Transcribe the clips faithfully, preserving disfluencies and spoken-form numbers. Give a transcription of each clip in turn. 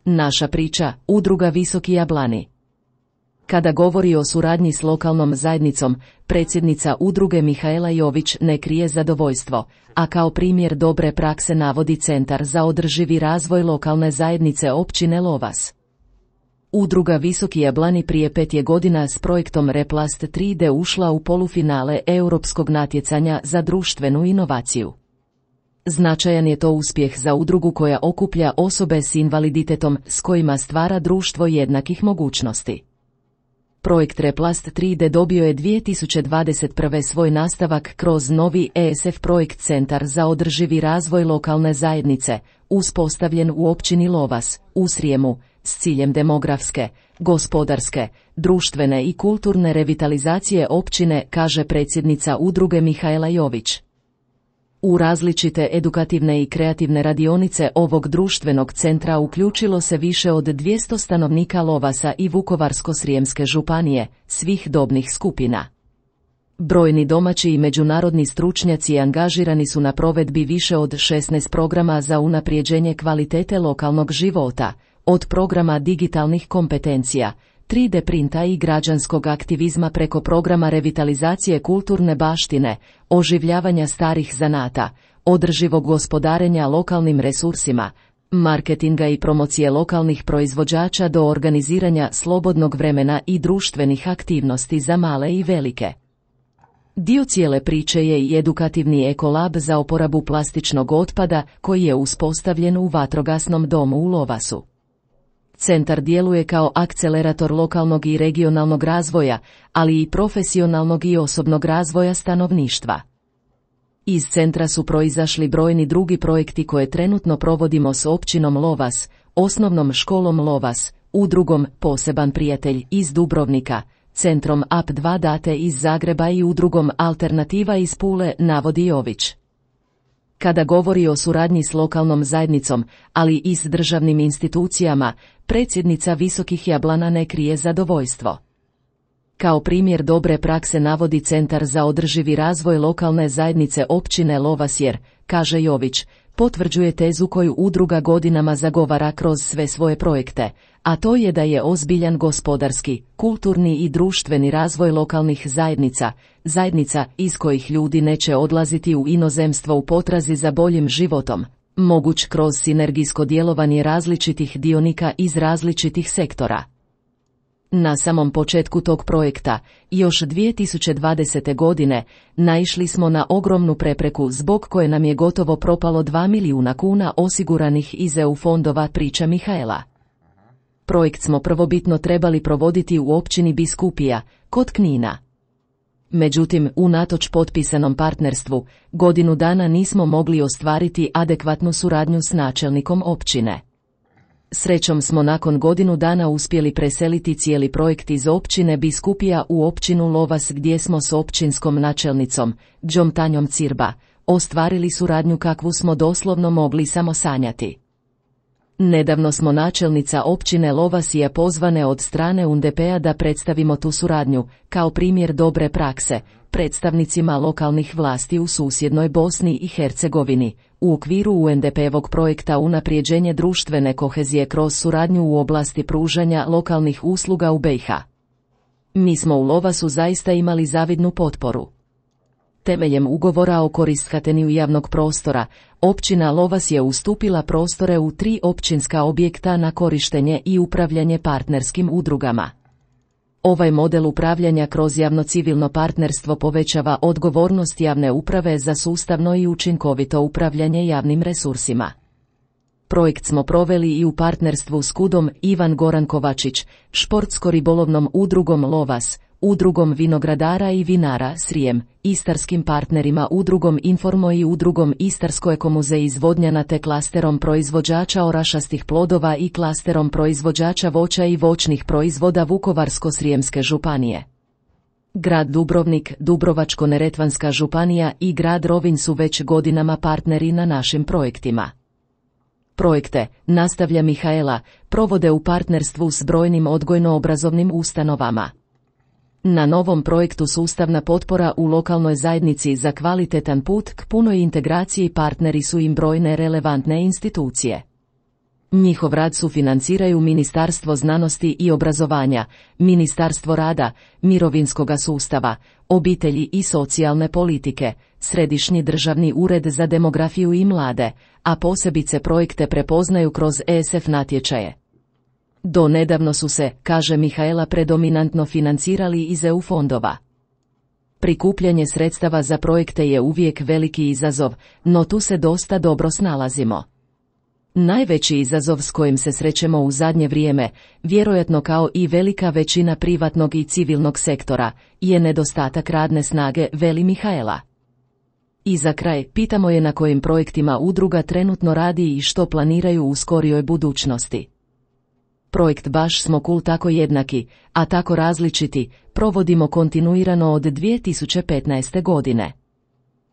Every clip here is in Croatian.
Naša priča, Udruga Visoki Jablani. Kada govori o suradnji s lokalnom zajednicom, predsjednica udruge Mihaela Jović ne krije zadovoljstvo, a kao primjer dobre prakse navodi Centar za održivi razvoj lokalne zajednice općine Lovas. Udruga Visoki Jablani prije pet je godina s projektom Replast tri D ušla u polufinale europskog natjecanja za društvenu inovaciju. Značajan je to uspjeh za udrugu koja okuplja osobe s invaliditetom s kojima stvara društvo jednakih mogućnosti. Projekt Replast tri D dobio je dvije tisuće dvadeset prve svoj nastavak kroz novi E S F projekt Centar za održivi razvoj lokalne zajednice, uspostavljen u općini Lovas, u Srijemu, s ciljem demografske, gospodarske, društvene i kulturne revitalizacije općine, kaže predsjednica udruge Mihaela Jović. U različite edukativne i kreativne radionice ovog društvenog centra uključilo se više od dvjesto stanovnika Lovasa i Vukovarsko-srijemske županije, svih dobnih skupina. Brojni domaći i međunarodni stručnjaci angažirani su na provedbi više od šesnaest programa za unaprijeđenje kvalitete lokalnog života, od programa digitalnih kompetencija, tri D printa i građanskog aktivizma preko programa revitalizacije kulturne baštine, oživljavanja starih zanata, održivog gospodarenja lokalnim resursima, marketinga i promocije lokalnih proizvođača do organiziranja slobodnog vremena i društvenih aktivnosti za male i velike. Dio cijele priče je i edukativni ekolab za oporabu plastičnog otpada koji je uspostavljen u vatrogasnom domu u Lovasu. Centar djeluje kao akcelerator lokalnog i regionalnog razvoja, ali i profesionalnog i osobnog razvoja stanovništva. Iz centra su proizašli brojni drugi projekti koje trenutno provodimo s općinom Lovas, osnovnom školom Lovas, udrugom Poseban prijatelj iz Dubrovnika, centrom A P dva Date iz Zagreba i udrugom Alternativa iz Pule, navodi Jović. Kada govori o suradnji s lokalnom zajednicom, ali i s državnim institucijama, predsjednica Visokih Jablana ne krije zadovoljstvo. Kao primjer dobre prakse navodi Centar za održivi razvoj lokalne zajednice općine Lovas jer, kaže Jović, potvrđuje tezu koju udruga godinama zagovara kroz sve svoje projekte, a to je da je ozbiljan gospodarski, kulturni i društveni razvoj lokalnih zajednica, zajednica iz kojih ljudi neće odlaziti u inozemstvo u potrazi za boljim životom, moguć kroz sinergijsko djelovanje različitih dionika iz različitih sektora. Na samom početku tog projekta, još dvije tisuće dvadesete. godine, naišli smo na ogromnu prepreku zbog koje nam je gotovo propalo dva milijuna kuna osiguranih iz E U fondova, priča Mihaela. Projekt smo prvobitno trebali provoditi u općini Biskupija, kod Knina. Međutim, unatoč potpisanom partnerstvu, godinu dana nismo mogli ostvariti adekvatnu suradnju s načelnikom općine. Srećom smo nakon godinu dana uspjeli preseliti cijeli projekt iz općine Biskupija u općinu Lovas gdje smo s općinskom načelnicom, Đom Tanjom Cirba, ostvarili suradnju kakvu smo doslovno mogli samo sanjati. Nedavno smo načelnica općine Lovasija pozvane od strane U N D P-a da predstavimo tu suradnju, kao primjer dobre prakse, predstavnicima lokalnih vlasti u susjednoj Bosni i Hercegovini, u okviru U N D P-ovog projekta unaprijeđenje društvene kohezije kroz suradnju u oblasti pružanja lokalnih usluga u B i H. Mi smo u Lovasu zaista imali zavidnu potporu. Temeljem ugovora o korištenju javnog prostora, općina Lovas je ustupila prostore u tri općinska objekta na korištenje i upravljanje partnerskim udrugama. Ovaj model upravljanja kroz javno-civilno partnerstvo povećava odgovornost javne uprave za sustavno i učinkovito upravljanje javnim resursima. Projekt smo proveli i u partnerstvu s Kudom Ivan Goran Kovačić, športsko-ribolovnom udrugom Lovas, udrugom vinogradara i vinara Srijem, istarskim partnerima udrugom Informo i udrugom Istarsko ekomuze iz Vodnjana te klasterom proizvođača orašastih plodova i klasterom proizvođača voća i voćnih proizvoda Vukovarsko-srijemske županije. Grad Dubrovnik, Dubrovačko-neretvanska županija i grad Rovinj su već godinama partneri na našim projektima. Projekte, nastavlja Mihaela, provode u partnerstvu s brojnim odgojno-obrazovnim ustanovama. Na novom projektu Sustavna potpora u lokalnoj zajednici za kvalitetan put k punoj integraciji partneri su im brojne relevantne institucije. Njihov rad sufinanciraju Ministarstvo znanosti i obrazovanja, Ministarstvo rada, mirovinskoga sustava, obitelji i socijalne politike, Središnji državni ured za demografiju i mlade, a posebice projekte prepoznaju kroz E S F natječaje. Do nedavno su se, kaže Mihaela, predominantno financirali iz E U fondova. Prikupljanje sredstava za projekte je uvijek veliki izazov, no tu se dosta dobro snalazimo. Najveći izazov s kojim se srećemo u zadnje vrijeme, vjerojatno kao i velika većina privatnog i civilnog sektora, je nedostatak radne snage, veli Mihaela. I za kraj, pitamo je na kojim projektima udruga trenutno radi i što planiraju u skorijoj budućnosti. Projekt Baš smo cool tako jednaki, a tako različiti, provodimo kontinuirano od dvije tisuće petnaeste. godine.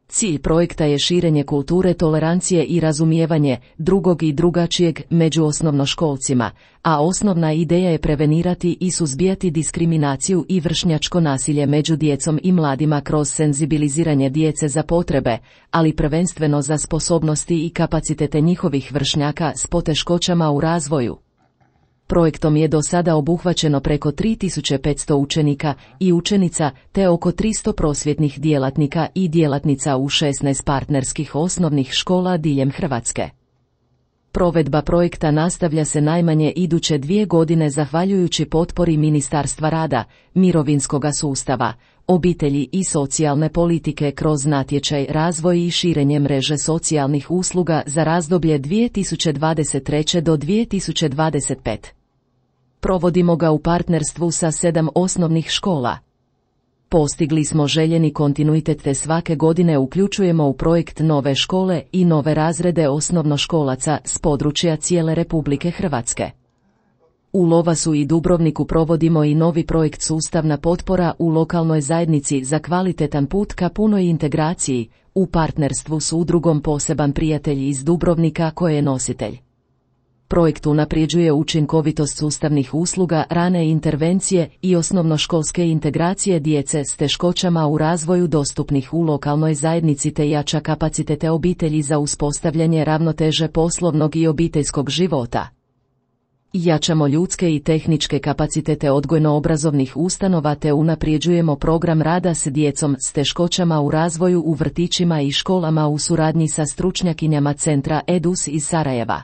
Cilj projekta je širenje kulture tolerancije i razumijevanje drugog i drugačijeg među osnovnoškolcima, a osnovna ideja je prevenirati i suzbijati diskriminaciju i vršnjačko nasilje među djecom i mladima kroz senzibiliziranje djece za potrebe, ali prvenstveno za sposobnosti i kapacitete njihovih vršnjaka s poteškoćama u razvoju. Projektom je do sada obuhvaćeno preko tri tisuće petsto učenika i učenica te oko tristo prosvjetnih djelatnika i djelatnica u šesnaest partnerskih osnovnih škola diljem Hrvatske. Provedba projekta nastavlja se najmanje iduće dvije godine zahvaljujući potpori Ministarstva rada, mirovinskoga sustava, obitelji i socijalne politike kroz natječaj Razvoj i širenje mreže socijalnih usluga za razdoblje dvije tisuće dvadeset treće do dvije tisuće dvadeset pete. Provodimo ga u partnerstvu sa sedam osnovnih škola. Postigli smo željeni kontinuitet te svake godine uključujemo u projekt nove škole i nove razrede osnovnoškolaca s područja cijele Republike Hrvatske. U Lovasu i Dubrovniku provodimo i novi projekt Sustavna potpora u lokalnoj zajednici za kvalitetan put ka punoj integraciji, u partnerstvu s udrugom Poseban prijatelj iz Dubrovnika koje je nositelj. Projekt unapređuje učinkovitost sustavnih usluga, rane intervencije i osnovnoškolske integracije djece s teškoćama u razvoju dostupnih u lokalnoj zajednici te jača kapacitete obitelji za uspostavljanje ravnoteže poslovnog i obiteljskog života. Jačamo ljudske i tehničke kapacitete odgojno-obrazovnih ustanova te unapređujemo program rada s djecom s teškoćama u razvoju u vrtićima i školama u suradnji sa stručnjakinjama centra EDUS iz Sarajeva.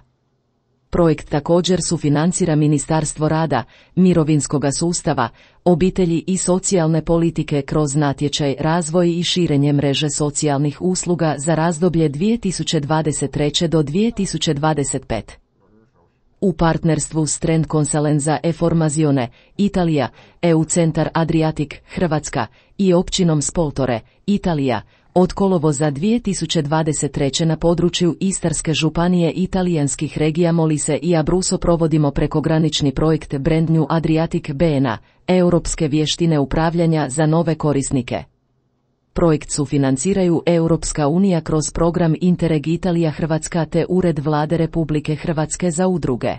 Projekt također sufinancira Ministarstvo rada, mirovinskoga sustava, obitelji i socijalne politike kroz natječaj Razvoj i širenje mreže socijalnih usluga za razdoblje dvije tisuće dvadeset treće do dvije tisuće dvadeset pete. U partnerstvu s Trend Consalenza e Formazione, Italija, E U Centar Adriatic, Hrvatska i općinom Spoltore, Italija, od kolovoza dvije tisuće dvadeset treće na području Istarske županije italijanskih regija Molise i Abruzzo provodimo prekogranični projekt Brand New Adriatic B N A, europske vještine upravljanja za nove korisnike. Projekt sufinanciraju Europska unija kroz program Interreg Italija Hrvatska te Ured Vlade Republike Hrvatske za udruge.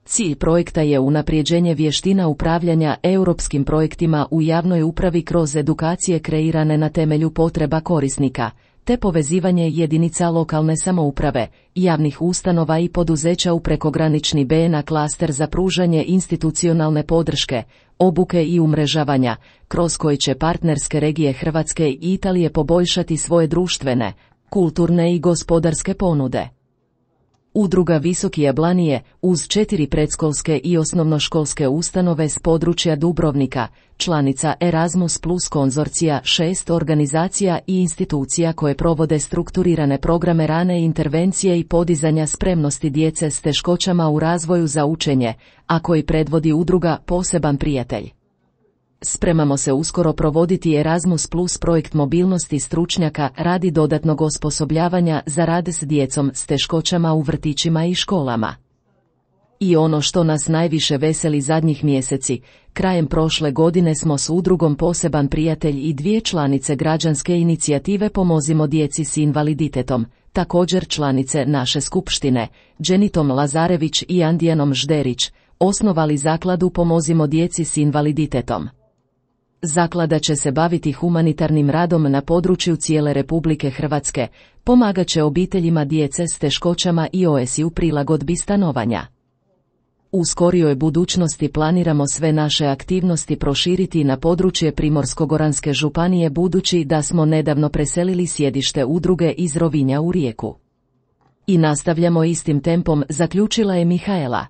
Cilj projekta je unapređenje vještina upravljanja europskim projektima u javnoj upravi kroz edukacije kreirane na temelju potreba korisnika, te povezivanje jedinica lokalne samouprave, javnih ustanova i poduzeća u prekogranični B N A klaster za pružanje institucionalne podrške, obuke i umrežavanja, kroz koji će partnerske regije Hrvatske i Italije poboljšati svoje društvene, kulturne i gospodarske ponude. Udruga Visoki Jablanije, uz četiri predškolske i osnovnoškolske ustanove s područja Dubrovnika, članica Erasmus plus konzorcija šest organizacija i institucija koje provode strukturirane programe rane intervencije i podizanja spremnosti djece s teškoćama u razvoju za učenje, a koji predvodi udruga Poseban prijatelj. Spremamo se uskoro provoditi Erasmus plus projekt mobilnosti stručnjaka radi dodatnog osposobljavanja za rad s djecom s teškoćama u vrtićima i školama. I ono što nas najviše veseli zadnjih mjeseci, krajem prošle godine smo s udrugom Poseban prijatelj i dvije članice građanske inicijative Pomozimo djeci s invaliditetom, također članice naše skupštine, Dženitom Lazarević i Andijanom Žderić, osnovali zakladu Pomozimo djeci s invaliditetom. Zaklada će se baviti humanitarnim radom na području cijele Republike Hrvatske, pomagat će obiteljima djece s teškoćama i O S I u prilagodbi stanovanja. U skorijoj budućnosti planiramo sve naše aktivnosti proširiti na područje Primorsko-goranske županije budući da smo nedavno preselili sjedište udruge iz Rovinja u Rijeku. I nastavljamo istim tempom, zaključila je Mihaela.